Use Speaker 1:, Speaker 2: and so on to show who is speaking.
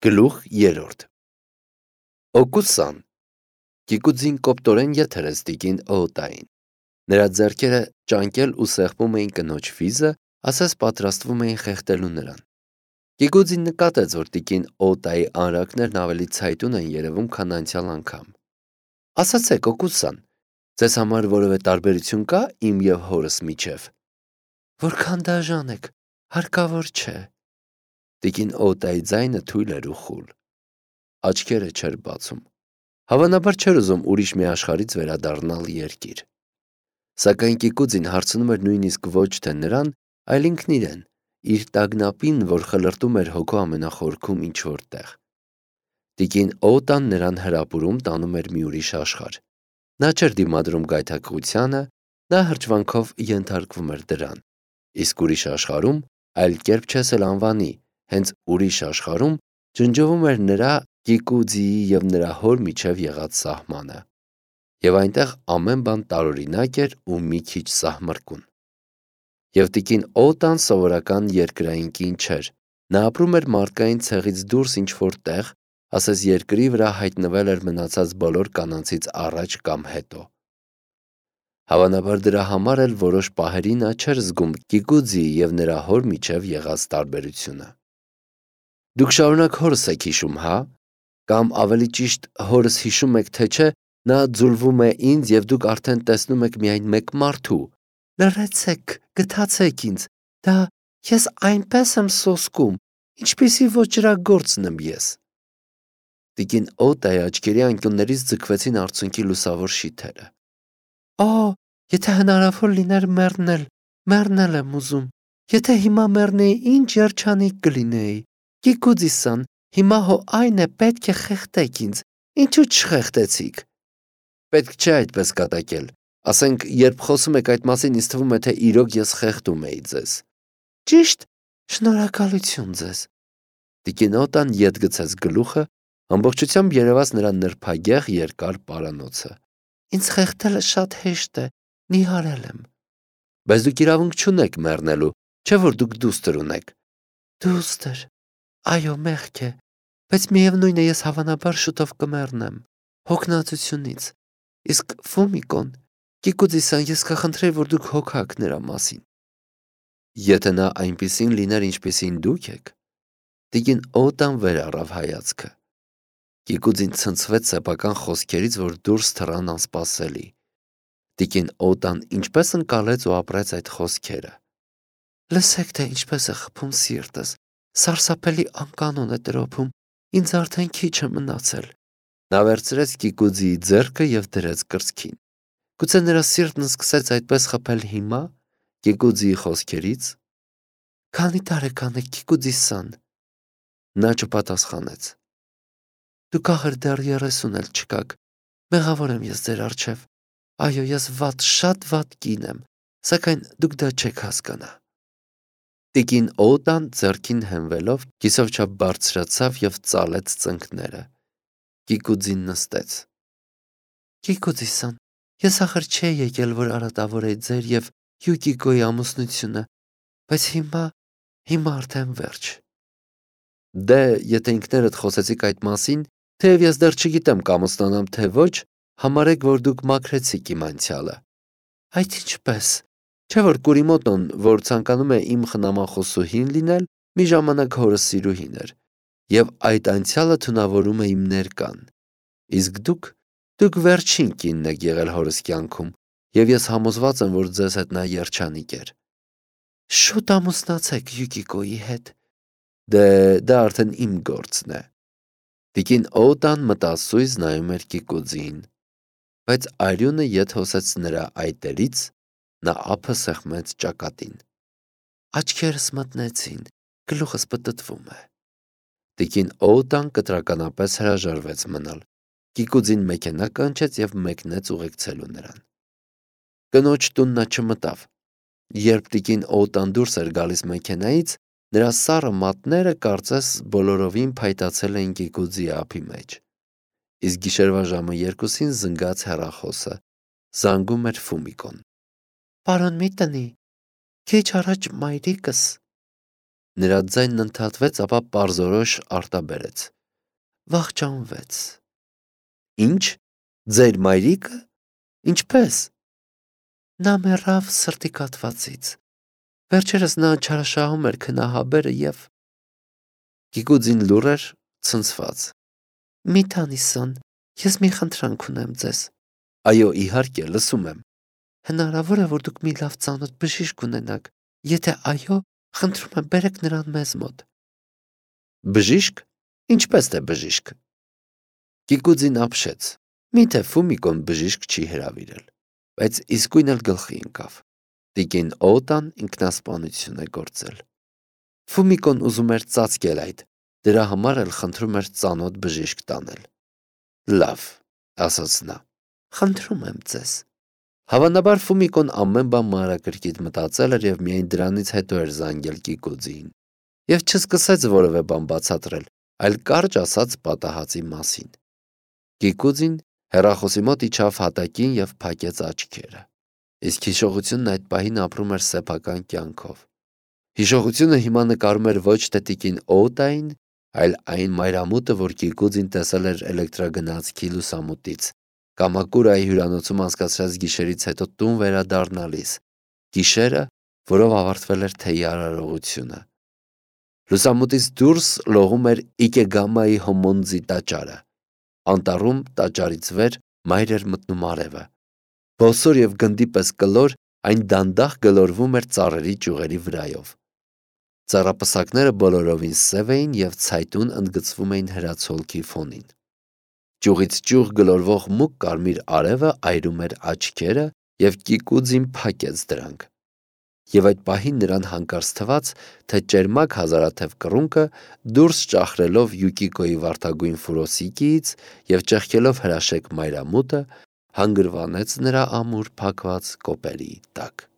Speaker 1: Գլուխ 3 Օկուսան Կիկուձին կոպտորեն եթերեց տիկին օոտային։ Նրա ձեռքերը ճանկել ու սեղմում էին կնոջ վիզը, ասես պատրաստվում էին խեղդելու նրան։ Կիկուձին նկատեց, որ տիկին օոտայի անրակներն ավելի ցայտուն են երևում, քան անցյալ անգամ։ Ասացեք, Օկուսան, ձեզ համար որևէ տարբերություն կա իմ եւ հորս միջև։ Որքան դաժան եք, հարկավոր չէ։ Տիկին օտայի ձայնը թույլ էր ու խուլ։ Աչքերը չէր բացում։ Հավանաբար չէր ուզում ուրիշ մի աշխարհից վերադառնալ երկիր։ Սակայն Կիկուձին հարցնում էր նույնիսկ ոչ թե նրան, այլ ինքն իրեն, իր տագնապին, որ խլրտում էր հոգու ամենախորքում ինչ-որ տեղ։ Տիկին օտան նրան հրապուրում տանում էր մի ուրիշ աշխարհ։ Նա չէր դիմադրում գայթակղությանը, նա հրճվանքով ենթարկվում էր դրան։ Իսկ ուրիշ աշխարհում այլ կերպ չես էլ անվանի, հենց ուրիշ աշխարհում ջնջվում էր նրա Կիկուձիի և նրա հոր միջև եղած սահմանը։ Եվ այնտեղ ամեն բան տարօրինակ էր ու մի քիչ սահմռկուն։ Եվ տիկին օտան սովորական երկրային կին չէր։ Նա ապրում էր մարդկային ցեղից դուրս ինչ-որ տեղ, ասես երկրի վրա հայտնվել էր մնացած բոլոր կանանցից առաջ կամ հետո։ Հավանաբար դրա համար էլ որոշ պահերի նա չէր զգում Կիկուձիի և նրա հոր միջև եղած տարբերությունը։ Դուք շարունակ հորս եք հիշում, հա՞։ Կամ ավելի ճիշտ հորս հիշում եք, թե չէ, նա ձուլվում է ինձ և դուք արդեն տեսնում եք միայն մեկ մարդու։ Լռեցեք, գթացեք ինձ, դա ես այնպես եմ սոսկում, ինչպիսի ոճրագործն եմ ես։ Տիկին օտայի աչքերի անկյուններից ձգվեցին արցունքի լուսավոր շիթերը։ Եթե հնարավոր լիներ մեռնել եմ ուզում։ Եթե հիմա մեռնեի, ինչ երջանիկ կլինեի։ Կիկուձիսան, հիմա հո այն է, պետք է խեղդեք ինձ, ինչու չխեղդեցիք։ Պետք չէ այդպես կատակել, ասենք, երբ խոսում եք այդ մասին, ինձ թվում է, թե իրոք ես խեղդում էի ձեզ։ Ճիշտ, շնորհակալություն ձեզ։ Տիկին օտան ետ գցեց գլուխը, ամբողջությամբ երևաց նրա նրբագեղ երկար պարանոցը։ Ինձ խեղդելը շատ հեշտ է, նիհարել եմ։ Բայց դուք իրավունք չունեք մեռնելու, չէ՞ որ դուք դուստր ունեք։ Դուստր, այո, մեղք է, բայց միևնույն է, ես հավանաբար շուտով կմեռնեմ, հոգնածությունից։ Իսկ Ֆումիկոն, Կիկուձիսան, ես կխնդրեի, որ դուք հոգաք նրա մասին։ Եթե նա այնպիսին լիներ, ինչպիսին դուք եք։ Տիկին օտան վեր առավ հայացքը։ Կիկուձին ցնցվեց սեփական խոսքերից, որ դուրս թռան անսպասելի։ Տիկին օտան ինչպես ընկալեց ու ապրեց այդ խոսքերը։ Լսեք, թե ինչպես է խփում սիրտս, սարսափելի անկանոն է տրոփում, ինձ արդեն քիչ է մնացել։ Նա վերցրեց Կիկուձիի ձեռքը և դրեց կրծքին։ Գուցե նրա սիրտն սկսեց այդպես խփել հիմա, Կիկուձիի խոսքերից։ Քանի տարեկան եք, Կիկուձիսան։ Նա չպատասխանեց։ Դուք ախր դեռ 30 էլ չկաք։ Մեղավոր եմ ես ձեր առջև։ Այո, ես շատ վատ կին եմ, սակայն դուք դա չեք հասկանա։ Տիկին օտան ձեռքին հենվելով կիսով չափ բարձրացավ և ծալեց ծնկները։ Կիկուձին նստեց։ Կիկուձիսան, ես ախր չէի եկել, որ արատավորեի ձեր և Յուկիկոյի ամուսնությունը, բայց հիմա արդեն վերջ։ Դե, եթե ինքներդ խոսեցիք այդ մասին, թեև ես դեռ չգիտեմ կամուսնանամ, թե ոչ, համարեք, որ դուք մաքրեցիք իմ անցյալը։ Այդ ինչպես։ Չէ՞ որ Կուրիմոտոն, որ ցանկանում է իմ խնամախոսուհին լինել, մի ժամանակ հորս սիրուհին էր, և այդ անցյալը թունավորում է իմ ներկան։ Իսկ դուք վերջին կինն եք եղել հորս կյանքում, և ես համոզված եմ, որ ձեզ հետ նա երջանիկ էր։ Շուտ ամուսնացեք Յուկիկոյի հետ։ Դե, դա արդեն իմ գործն է։ Տիկին օտան մտասույզ նայում էր Կիկուձիին, բայց արյունը ետ հոսեց նրա այտերից, նա ափը սեղմեց ճակատին։ Աչքերս մթնեցին, գլուխս պտտվում է։ Տիկին օտան կտրականապես հրաժարվեց մնալ։ Կիկուձին մեքենա կանչեց և մեկնեց ուղեկցելու նրան։ Կնոջ տուն նա չմտավ։ Երբ տիկին օտան դուրս էր գալիս մեքենայից, նրա սառը մատները կարծես բոլորովին փայտացել էին Կիկուձիի ափի մեջ։ Իսկ գիշերվա ժամը 2-ին զնգաց հեռախոսը։ Զանգում էր Ֆումիկոն։ Պարոն մի տնի, քիչ առաջ մայրիկս։ Նրա ձայնն ընդհատվեց, ապա պարզորոշ արտաբերեց։ վախճանվեց։ Ինչ, ձեր մայրիկը, ինչպես։ Նա մեռավ սրտի կաթվածից։ Վերջերս նա չարաշահում էր քնահաբերը և… Գիգուձին լուռ էր, ցնցված։ Մի Տանիսոն, ես մի խնդրանք ունեմ ձեզ։ Այո, իհարկե, լսում եմ։ Հնարավոր է, որ դուք մի լավ ծանոթ բժիշկ ունենաք։ Եթե այո, խնդրում եմ, բերեք նրան մեզ մոտ։ Բժիշկ։ Ինչպես թե բժիշկ։ Գիգուձին ապշեց։ Միթե Ֆումիկոն բժիշկ չի հրավիրել։ Բայց իսկույն էլ գլխի ընկավ։ Տիկին Օտան ինքնասպանություն է գործել։ Ֆումիկոն ուզում էր ծածկել այդ, դրա համար էլ խնդրում էր ծանոթ բժիշկ տանել։ Լավ, ասաց նա, խնդրում եմ ձեզ։ Հավանաբար Ֆումիկոն ամեն բան մանրակրկիտ մտածել էր և միայն դրանից հետո էր զանգել Գիգուձիին։ Եվ չսկսեց որևէ բան բացատրել, այլ կարճ ասաց պատահածի մասին։ Գիգուձին հեռախոսի մոտ իջավ հատակին և փակեց աչքերը։ Իսկ հիշողությունն այդ պահին ապրում էր սեփական կյանքով։ Հիշողությունը հիմա նկարում էր ոչ թե տիկին Օտային, այլ այն մայրամուտը, որ Գիգուձին տեսել էր էլեկտրագնացքի լուսամուտից, Կամակուրայի հյուրանոցում անցկացրած գիշերից հետո տուն վերադառնալիս, գիշերը, որով ավարտվել էր թեյի արարողությունը։ Լուսամուտից դուրս լողում էր Իկեգամայի Հոմոնձի տաճարը։ Անտառում տաճարից վեր մայր էր մտնում արևը։ Բոսոր և գնդի պես կլոր այն դանդաղ գլորվում էր ծառերի ճյուղերի վրայով։ Ծառապսակները բոլորովին սև էին և ցայտուն ընդգծվում էին հրացոլքի ֆոնին։ Ճյուղից ճյուղ գլորվող մուգ կարմիր արևը այրում էր աչքերը և Գիգուձին փակեց դրանք։ Եվ այդ պահին նրան հանկարծ թվաց, թե ճերմակ հազարաթև կռունկը դուրս ճախրելով Յուկիկոյի վարդագույն ֆուրոսիկիից և ճեղքելով հրաշեկ մայրամուտը, հանգրվանեց նրա ամուր փակված կոպերի տակ։